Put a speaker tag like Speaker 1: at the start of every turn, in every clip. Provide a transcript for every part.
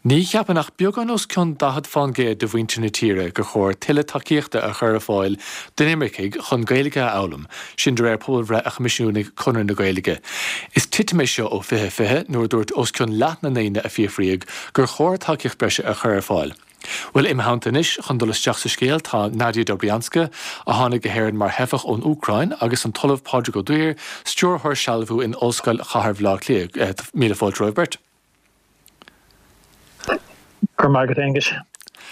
Speaker 1: Ní cheapann ach beagán os cionn 40% de mhuintir na tíre gur chóir tuilleadh tacaíochta a chur ar fáil d'inimircigh chun Gaeilge a fhoghlaim, sin de réir pobalbhreith a choimisiúnaigh Conradh na Gaeilge. Is titim é seo ó 2020, nuair a dúirt os cionn leath na ndaoine a fiafraíodh gur chóir tacaíocht breise a chur ar fáil. Bhuel, im theannta anois chun dul isteach sa scéal tá Nadia Dobrianska, a tháinig go hÉirinn mar theifeach ón Úcráin, agus an tOllamh Pádraig Ó Duibhir, Stiúrthóir Sealbhú in Ollscoil Chathair Bhaile Átha Cliath. Míle fáilte romhaibh beirt.
Speaker 2: Go raibh maith agat, Aengus.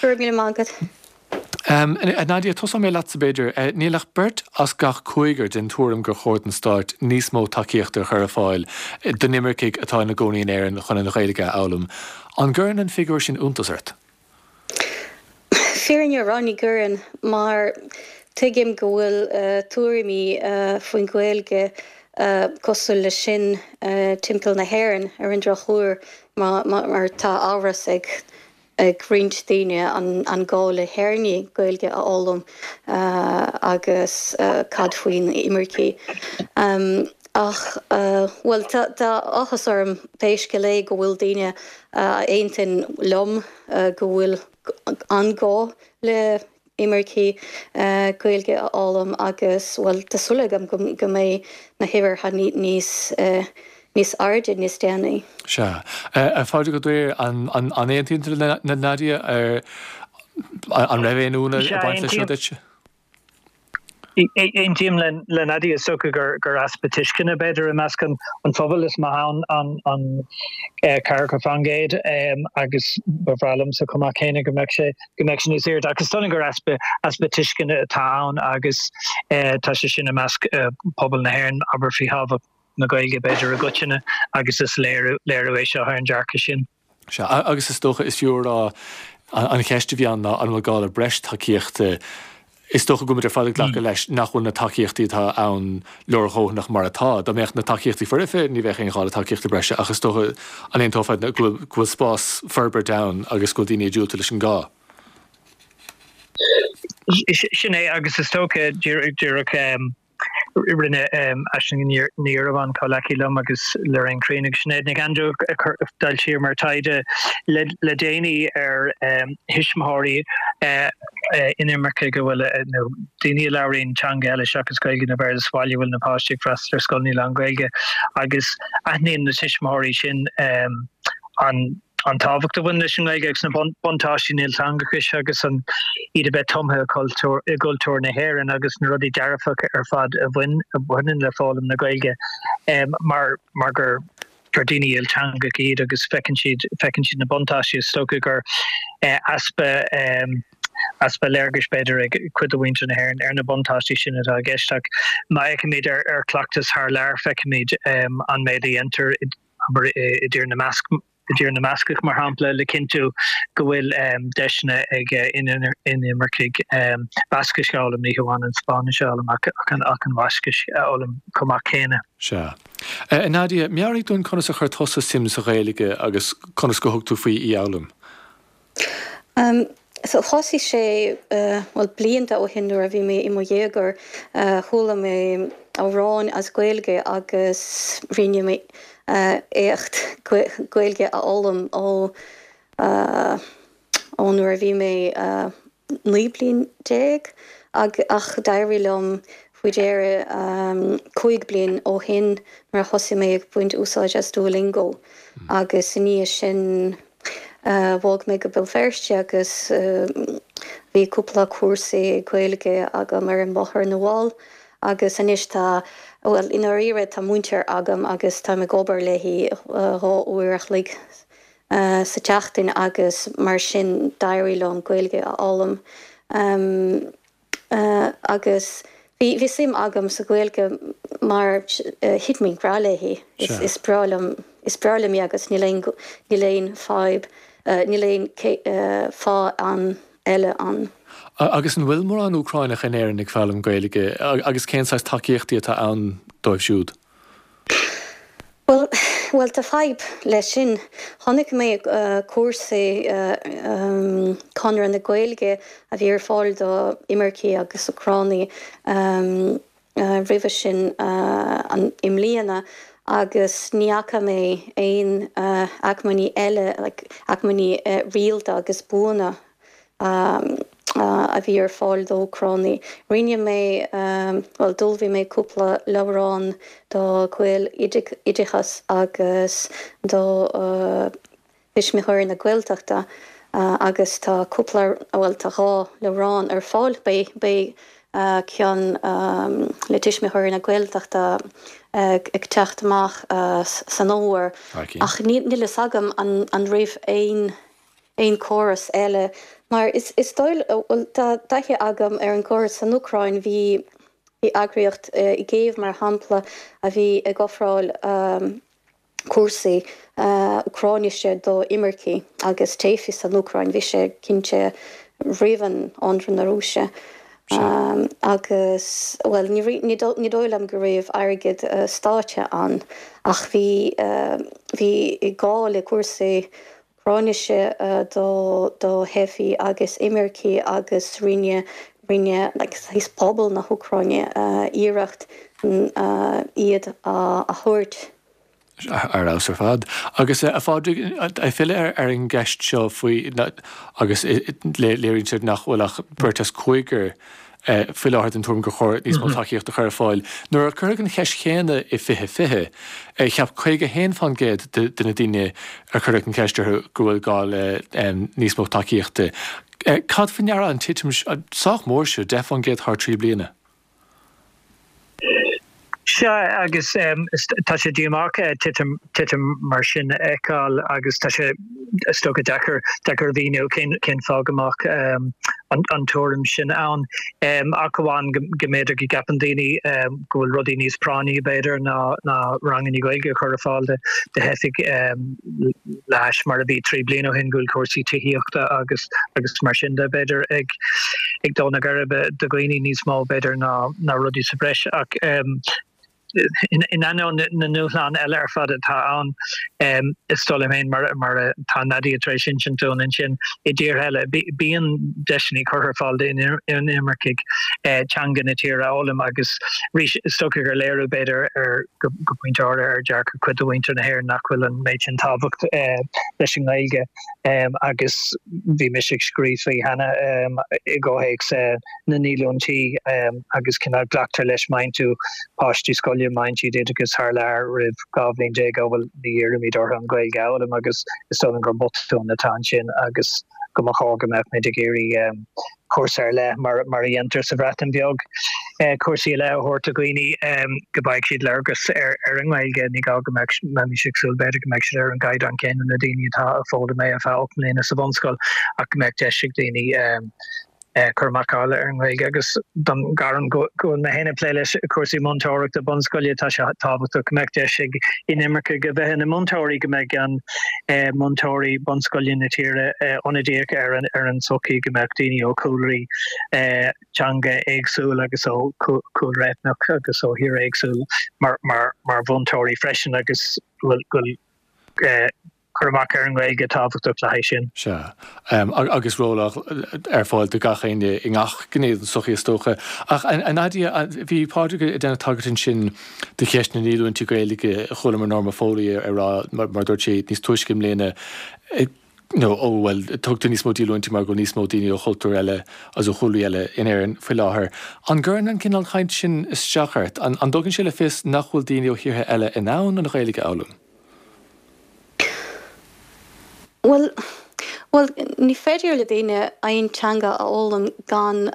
Speaker 3: Go raibh míle maith agat.
Speaker 1: A Nadia, tosóidh mé leatsa b'fhéidir. Níl ach beirt as gach cúigear den tuairim gur chóir don Stát níos mó tacaíochta a chur ar fáil d'inimircigh atá ina gcónaí in Éirinn chun an Ghaeilge a fhoghlaim. An gcuireann an figiúr sin iontas ort?
Speaker 3: Fírinne a rá, ní gcuireann, mar tuigim go bhfuil tuairimí faoin Ghaeilge cosúil leis sin timpeall na hÉireann, ar an drochuair, mar tá amhras ag ag roinnt daoine an gá le hÉireannaigh Gaeilge a fhoghlaim agus cad faoin imircigh. Ach, bhuel, tá áthas orm pé scéal é go bhfuil daoine a aontaíonn liom go bhfuil an gá le imircigh Gaeilge a fhoghlaim agus, bhuel, tá súil agam go mbeidh na huimhreacha níos, níos airde níos déanaí.
Speaker 1: Sea. A Phádraig Ó Duibhir, an aontaíonn tú le Nadia? An raibh aon ionadh ag baint leis seo duit?
Speaker 2: Aontaím le Nadia, is dócha gur easpa tuisceana, b'fhéidir, i measc an phobail is mó ann an 40% agus ba bhreá liomsa chomh maith céanna go mbeadh sé go mbeadh sé níos airde. Ach is dóigh liom gur easpa easpa tuisceana atá ann agus tá sé sin i measc pobal na hÉireann, abair, faoi thábhacht na Gaeilge, b'fhéidir, i gcoitinne agus is léiriú léiriú é seo ar an dearcadh sin.
Speaker 1: Sea, agus is dócha, is fiú a rá, an cheist a bhí ann ná an bhfuil gá le breis tacaíochta. Is dócha go bhfuil muid ar fad ag glacadh leis nach bhfuil na tacaíochtaí atá ann leordhóthanach mar atá. Dá mbeadh na tacaíochtaí foirfe, ní bheadh aon ghá le tacaíochtaí breise, ach is dócha, an aontófá go bhfuil spás forbairt ann agus go bhfuil daoine ag diúltú leis an gá?
Speaker 2: Sin é, agus is dócha, díreach, Rinne Aisling Ní Dhiorbháin, comhleacaí liom, agus Lorraine Crean agus Sinéad Nic Aindriú d'fhoilsíomar taighde le déanaí ar thuismitheoirí inimircigh a bhfuil, nó daoine a labhraíonn teanga eile seachas Gaeilge nó Béarla sa bhaile a bhfuil na páistí ag freastal ar scoileanna lán-Ghaeilge agus aithníonn na tuismitheoirí sin an an tábhacht a bhaineann leis an nGaeilge agus na buntáistí an ilteangachais agus an iad a bheith tumtha i gcultúr na hÉireann agus na rudaí dearfacha ar fad a bhaineann le foghlaim na Gaeilge mar mar gur gur daoine ilteangacha iad agus feiceann siad feiceann siad na buntáistí. Is dócha gur easpa easpa léargais b'fhéidir ag cuid de mhuintir na hÉireann ar na buntáistí sin atá i gceist ach má fheicimid ar ar chleachtas thar lear feicimid an méid a dhéantar abair, i dTír na mBasc, i dTír na mBascach, mar shampla, le cinntiú go bhfuil deiseanna ag inimircigh Bascais a fhoghlaim, ní hamháin an Spáinnis a fhoghlaim ach an Bhaiscis a fhoghlaim chomh maith céanna.
Speaker 1: Sea. A Nadia, meabhraigh dúinn conas a chuir tusa suim sa Ghaeilge agus conas gur thug tú faoi í a fhoghlaim?
Speaker 3: So thosaigh sé, bhuel, blianta ó shin nuair a bhí mé i mo dhéagóir, chuala mé amhráin as Gaeilge agus rinne mé éacht Gaeilge a fhoghlaim ó ó nuair a bhí mé 19 bliain ach d'éirigh liom faoi dheireadh 5 bliain ó shin nuair a thosaigh mé ag baint úsáid as Duolingo agus i ndiaidh sin Bhog mé go Béal Feirste agus bhí cúpla cúrsaí Gaeilge agam ar an mBóthar na bhFál agus anois tá, bhuel, i ndáiríre tá múinteoir agam agus táim ag obair léi 2 uair a chloig sa tseachtain agus mar sin d'éirigh liom Gaeilge a fhoghlaim. Agus bhí, bhí suim agam sa Ghaeilge mar thit mé i ngrá léi. Is breá liom, is breá liom í agus níl aon, níl aon fadhb, níl aon fáth ann eile ann.
Speaker 1: Agus an bhfuil mórán Úcráineach in Éirinn ag foghlaim Gaeilge agus cén saghas tacaíochtaí atá ann dóibh siúd?
Speaker 3: Bhuel, bhuel, tá fadhb leis sin. Chonaic mé cúrsaí Conradh na Gaeilge a bhí ar fáil do imircigh agus Úcránaigh roimhe sin i mbliana. Agus ní fhaca mé aon acmhainní eile, like acmhainní rialta agus buana a bhí ar fáil d'Úcránaigh. Rinne mé, bhuel, d'ullmhaigh mé cúpla leabhrán do Ghaeloideachas agus do Thuismitheoirí na Gaeltachta agus tá cúpla, bhuel, tá 2 leabhrán ar fáil. Beidh, beidh ceann le Tuismitheoirí na Gaeltachta ag teacht amach san fhómhar ach níl fhios agam an raibh aon, aon córas eile mar is, is dóigh, bhuel, tá taithí agam ar an gcóras san Úcráin, bhí, bhí eagraíocht i gCéiv mar shampla a bhí ag ofráil cúrsaí Úcráinise do imircigh agus teifigh san Úcráin. Bhí sé cinnte roimh an ionradh na Rúise agus, bhuel, ní dóigh liom go raibh airgead stáit ann ach bhí, bhí gá le cúrsaí Úcráinise do do theifigh agus imircigh agus rinne, rinne like saghas pobal na hÚcráine iarracht iad a thabhairt.
Speaker 1: Ar fheabhas ar fad. Agus a Phádraig, ag filleadh ar an gceist seo faoi, agus léiríonn siad nach bhfuil ach beirt as cúigear faoi láthair den tuairim gur chóir níos mó tacaíochta a chur ar fáil. Nuair a cuireadh an cheist chéanna i 2020, cheap 51% de na daoine ar cuireadh an cheist orthu go bhfuil gá le níos mó tacaíochta. Cad faoi ndeara an titim sách mór seo, 10% thar 3 bliana?
Speaker 2: Sea, agus tá sé díomách titim, titim mar sin a fheiceáil agus tá sé, is dócha, deacair, deacair a mhíniú cén, cén fáth go mbeadh an tuairim sin ann. Ach amháin go, go mb'fhéidir go gceapann daoine go bhfuil rudaí níos práinní, b'fhéidir, ná, ná ranganna Gaeilge a chur ar fáil do, do theifigh le hais mar a bhí 3 bliana ó shin, go bhfuil cúrsaí tithíochta agus, agus mar sin de, b'fhéidir, ag, ag dó na geirbe do dhaoine níos mó, b'fhéidir, ná rudaí sa bhreis. Ach in ainneoin na ndúshlán eile ar fad atá ann, is dóigh liom féin, mar atá Nadia tar éis insint dúinn ansin, i dtíortha eile, bíonn deiseanna curtha ar fáil d'inimircigh teanga na tíre a fhoghlaim agus arís, is dócha gur léiriú, b'fhéidir, ar, go pointe áirithe, ar dhearcadh cuid de mhuintir na hÉireann nach bhfuil an méid sin tábhacht leis an nGaeilge. Agus bhí mise ag scríobh faoi cheana i gcomhthéacs na ndíolúintí agus cineál glactar leis má fhaigheann tú páistí scoile, má fhaigheann siad oideachas thar lear roimh 12 bhliain, ó bhuel ní iarraimid orthu an Ghaeilge a fhoghlaim agus is dóigh liom gur botún atá ansin agus go mba chóir go mbeadh muid ag iarraidh cúrsa ar leith mar a dhéantar sa Bhreatain Bheag, cúrsaí ar leith a thabhairt do dhaoine go bhfaighidh siad léargas ar an nGaeilge. Ní gá go mbeadh, mbeimis ag súil b'fhéidir go mbeadh siad ar an gcaighdeán céanna le daoine atá ag foghlaim é ar feadh 8 mbliana sa bhunscoil ach go mbeadh deis ag daoine cur amach a fháil ar an nGaeilge agus don ghairm go bhfuil mé féin ag plé leis cúrsaí múinteoireachta bunscoile tá sé tábhachtach go mbeadh deis ag inimircigh a bheith ina múinteoirí, go mbeadh an múinteoirí bunscoile na tíre ionadaíoch ar an ar an tsochaí, go mbeadh daoine ó chúlraí teanga éagsúil agus ó chúlra eitneach agus ó thír éagsúil mar mar mar mhúinteoirí freisin agus go bhfuil cur amach ar an nGaeilge tábhachtach le haghaidh sin.
Speaker 1: Sea. Agus ról ar fáil do gach éinne i ngach gné den tsochaí is dócha. Ach a Nadia, bhí Pádraig ag déanamh tagairt ansin do cheist na ndíolúintí Gaeilge, chualamar Norma Foley ag rá, mar a dúirt sí níos túisce i mbliana, nó ó bhuel, tugtar níos mó díolúintí mar go bhfuil níos mó daoine ó chultúir eile agus ó chúlraí eile in Éirinn faoi láthair. An gcuireann an cineál caint sin isteach ort? An dtugann sé le fios nach bhfuil daoine ó thíortha eile in ann an Ghaeilge a fhoghlaim?
Speaker 3: Bhuel, bhuel, ní féidir le daoine aon teanga a fhoghlaim gan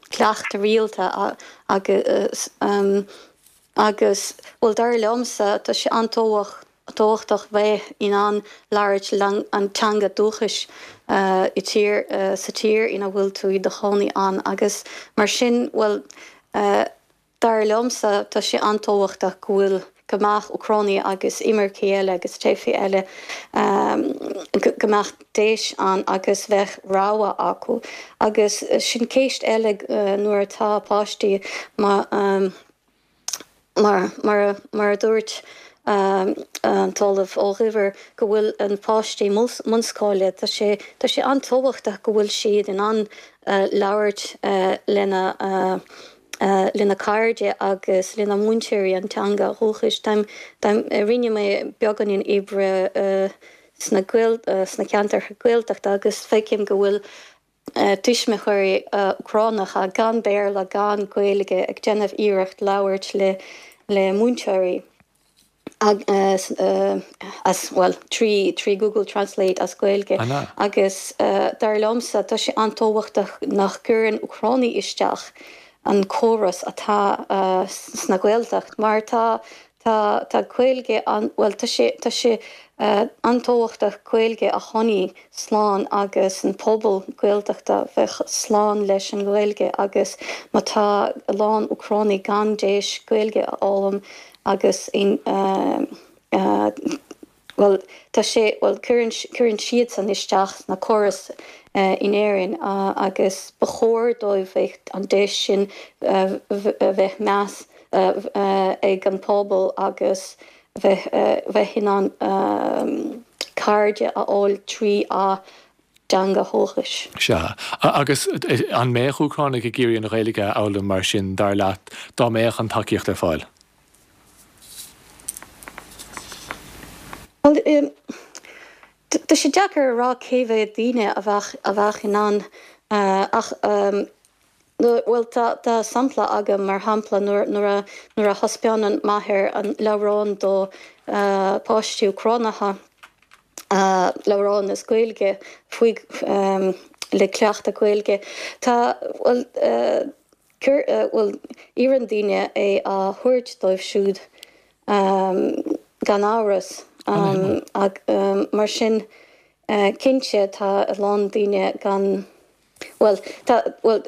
Speaker 3: cleachtadh rialta agus, agus, bhuel, dar liomsa, tá sé an-tábhachtach bheith in ann labhairt an teanga dúchais i tír, sa tír ina bhfuil tú i do chónaí ann agus mar sin, bhuel, Dar liomsa, tá sé an-tábhachtach go bhfuil, go mbeadh Úcránaigh agus imircigh eile agus teifigh eile, go mbeadh deis ann agus bheadh rogha acu. Agus sin ceist eile nuair atá páistí mar, mar, mar a dúirt an tOllamh Ó Dhuibhir go bhfuil an páistí bunscoile, tá sé, tá sé an-tábhachtach go bhfuil siad in ann labhairt lena. lena cairde agus lena múinteoirí an teanga dhúchais. Táim, táim, rinne mé beagáinín oibre sna Gael, sna ceantair Gaeltachta agus feicim go bhfuil tuismitheoirí Úcránacha gan Béarla, gan Gaeilge ag déanamh iarracht labhairt le, le múinteoirí. as, bhuel, trí Google Translate as Gaeilge agus dar liomsa tá sé an-tábhachtach nach gcuireann Úcránaigh isteach an córas atá sna Gaeltacht mar tá tá tá Gaeilge an, bhuel, tá sé tá sé an-tábhachtach Gaeilge a choinneáil slán agus an pobal Gaeltachta bheith slán leis an Ghaeilge agus má tá a lán Úcránaigh gan deis Gaeilge a fhoghlaim agus in bhuel tá sé bhuel cuireann cuireann siadsan isteach sna córas in Éirinn agus ba chóir dóibh bheith an deis sin bheith meas ag an pobal agus bheith bheith in ann cairde a fháil trí a dteanga dhúchais.
Speaker 1: Sea. Agus an mbeadh Úcránaigh ag iarraidh an Ghaeilge a fhoghlaim mar sin, dar leat, dá mbeadh an tacaíocht ar fáil?
Speaker 3: Bhuel, tá sé deacair a rá cé mhéad daoine a bheadh a bheadh in ann ach bhuel tá tá sampla agam mar shampla nuair nuair a nuair a thaispeánann m'athair an leabhrán do páistí Úcránacha leabhrán as Gaeilge faoi le cleachtadh Gaeilge tá bhuel Cur, bhuel, iarrann daoine é a thabhairt dóibh siúd, gan amhras. Mar sin, cinnte, tá a lán daoine gan, bhuel, tá, bhuel,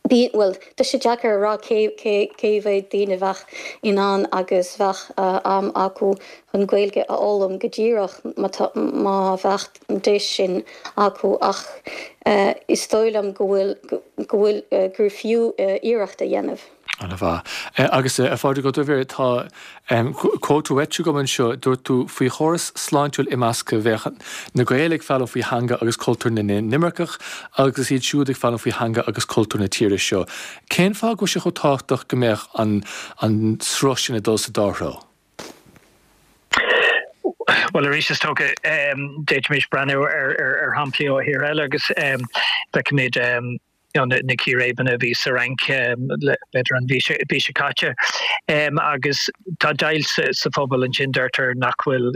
Speaker 3: bíonn, bhuel, tá sé deacair a rá cé, cé, cé mhéad daoine bheadh in ann agus bheadh am acu chun Gaeilge a fhoghlaim go díreach má tá, má bheadh an deis sin acu ach is dóigh liom go bhfuil, go bhfuil, gur fiú iarracht a dhéanamh.
Speaker 1: An-mhaith. Agus a Phádraig Ó Duibhir, tá quote uait agam anseo, dúirt tú, 'Faoi chóras sláintiúil imeasctha bheadh na Gaeil ag foghlaim faoi theanga agus cultúr na n-inimirceach agus iad siúd ag foghlaim faoi theanga agus cultúr na tíre seo'. Cén fáth go bhfuil sé chomh tábhachtach go mbeadh an an sruth sin ag dul sa dá threo?
Speaker 2: Bhuel, arís, is dócha, d'fhéadfaimis breathnú ar shamplaí ó thíortha eile agus feicimid na círéibeanna a bhí sa Fhrainc b'fhéidir an mhí seo caite agus tá deighilt sa phobal ansin, deirtear nach bhfuil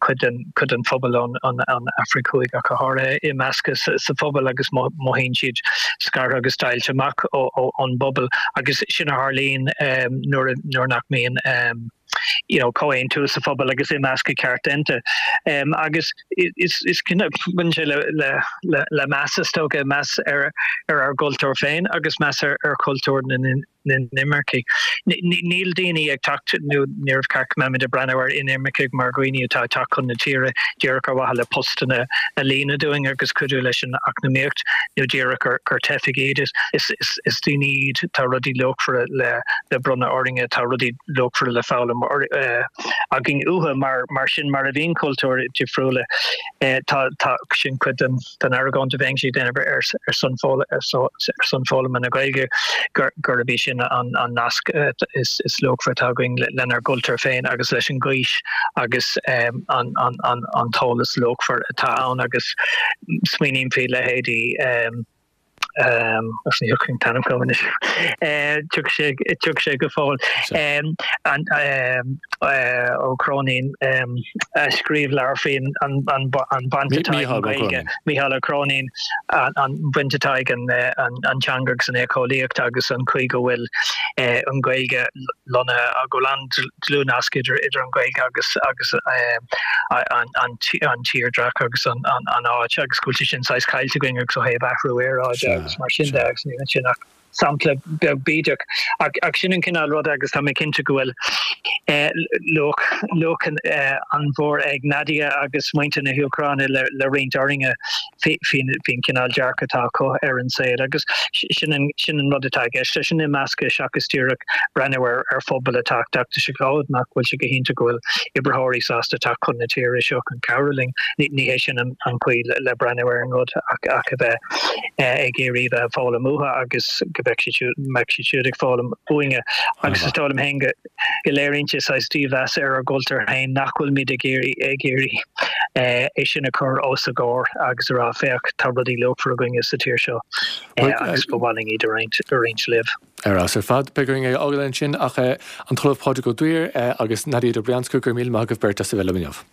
Speaker 2: cuid den phobal ón Afraic Thuaidh ach go háirithe imeasctha sa phobal agus mothaíonn siad scartha agus deighilte amach ón bpobal agus sin a tharlaíonn nuair nach mbíonn you know comhaontú sa phobal agus imeascadh ceart déanta. Agus is is baineann sé le le le le meas is dócha, meas ar ar ár gcultúr féin agus meas ar ar chultúr na na n-imircigh. Níl daoine ag teacht, nó níor cheart go mbeimid ag breathnú ar inimircigh mar dhaoine atá ag teacht chun na tíre díreach ar mhaithe le postanna a líonadh dúinn agus cuidiú leis an eacnamaíocht, nó díreach gur teifigh iad. Is daoine iad, tá rudaí luachmhara le bronnadh orainne, tá rudaí luachmhara le foghlaim againn uathu, mar sin mar a bhíonn cultúir difriúla, tá sin cuid den. den argóint a bheinnse ag déanamh ar son ar son foghlama na Gaeilge gurb é sin an nasc is luachmhaire atá againn lenár gcultúr féin agus leis an ghaois agus an t-eolas luachmhar atá ann agus smaoiním faoi leithéidí agus ní thiocfaidh an t-ainm chugam anois tiocfaidh sé go fóill Ó Cróinín a scríobh leabhar faoi an bhaint atá ag an Ghaeilge, Mícheál Ó Cróinín, an bhaint atá ag an teanga agus an éiceolaíocht agus an chaoi go bhfuil an Ghaeilge lonnaithe, go bhfuil an-dlúthnasc idir an Ghaeilge agus agus an tírdhreach agus an áit agus go bhfuil sé sin saghas caillte againn agus ó thaobh athrú aeráide agus mar sin de agus níl ansin ach sampla beag bídeach. Ach sin an cineál ruda agus tá mé cinnte go bhfuil luach luach an-mhór ag Nadia agus muintir na hÚcráine le roinnt orainne faoin cineál dearcadh atá acu ar an saol agus sin an sin an rud atá i gceist leis an imeascadh seachas díreach breathnú ar ar phobal atá ag teacht isteach nach bhfuil sé go hiontach go bhfuil oibritheoirí sásta teacht chun na tíre seo chun cabhrú linn. Ní hé sin an chaoi le breathnú ar an rud ach a bheith. Ag iarraidh bheith ag foghlaim uathu agus go mbeadh siad siúd, mbeadh siad siúd ag foghlaim uainne. Agus is dóigh liom féin go, go léiríonn sé saghas dímheas ar ár gcultúr féin nach bhfuilimid ag iarraidh, ag iarraidh é sin a chur os a gcomhair agus a rá féach, tá rudaí luachmhara againne sa tír seo agus ba mhaith linn iad a roinnt, a roinnt libh.
Speaker 1: Ar fheabhas ar fad. Beidh orainn é a fhágáil ansin ach an tOllamh Pádraig Ó Duibhir agus Nadia Dobrianska, go raibh míle maith agaibh beirt as a bheith liom inniu.